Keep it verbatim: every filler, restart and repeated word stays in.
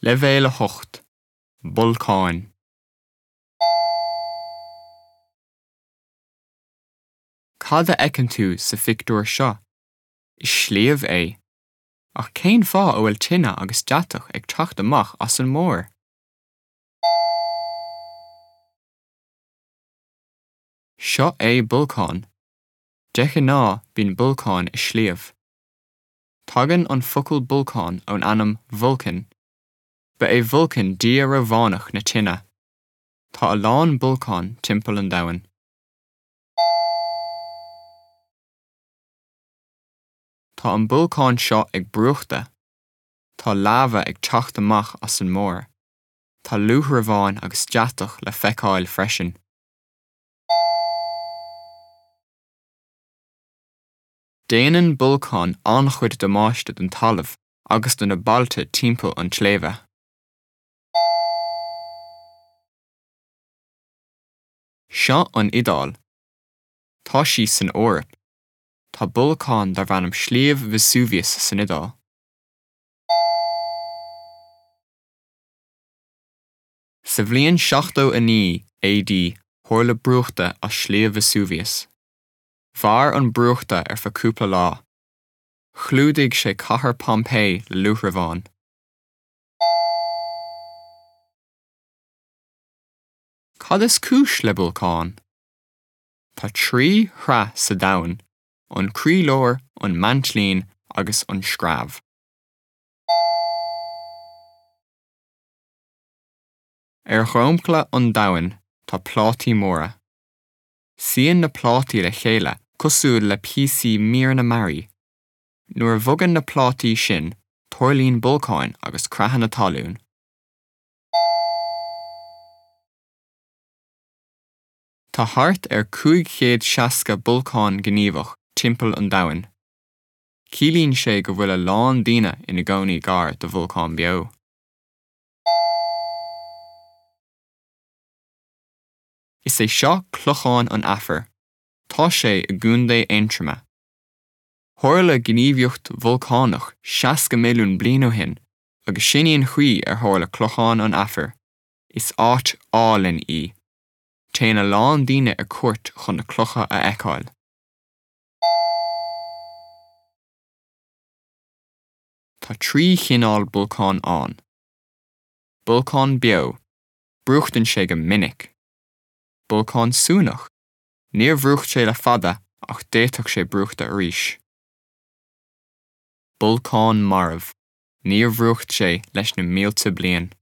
Leibhéal a hocht, Bolcáin. Cad a fheiceann tú sa phictiúr seo? Is sliabh é. Ach cén fáth a bhfuil tine agus deatach ag teacht amach as an mbarr? Seo é bolcán. De ghnáth bíonn bolcáin i sliabh. Tagann an focal bolcán ón ainm Vulcan. Ba é Vulcan dia Rómhánach na tine. Tá a lán bolcán timpeall an domhain. Tá an bolcán seo ag brúchtadh. Tá lava ag teacht amach as an mbarr. Tá luaithreamhán agus deatach le feiceáil freisin. Déanann bolcáin an-chuid damáiste don talamh agus do na bailte timpeall an tsléibhe. Seo an Iodáil. Tá sí san Eoraip. Tá bolcán darb ainm Sliabh Vesuvius san Iodáil. Sa bhliain seachtó a naoi AD tharla brúchtadh as Sliabh Vesuvius. Mhair an brúchtadh ar feadh cúpla lá. Chlúdaigh sé cathair Pompeii le luaithreamhán. Cad is cúis le bolcán? Tá trí shraith sa domhan, an croílár, an maintlín agus an screamh. Ar dhromchla an domhain tá plátaí móra. Suíonn na plátaí le chéile cosúil le píosaí míreanna mearaí. Nuair a bhogann na plátaí sin, tarlaíonn bolcáin agus creathanna talún. Tá thart ar cúig chéad seasca bolcán gníomhach timpeall an domhain. Ciallaíonn sé go bhfuil a lán daoine ina gcónaí gar do bholcán beo. Is é seo Clochán an Aifir. Tá sé i gContae Aontroma. Tharla gníomhaíocht bholcánach seasca milliún bliain ó shin agus sin í an chaoi ar tharla Clochán an Aifir. Is áit álainn í. Téann a lán daoine ar cuairt chun na clocha a fheiceáil. Tá trí chineál bolcán ann. Bolcán beo, brúchtann sé go minic. Bolcán suanach, níor bhrúcht sé le fada ach d'fhéadfadh sé brúchtadh arís. Bolcán marbh, níor bhrúcht sé leis na mílte bliain.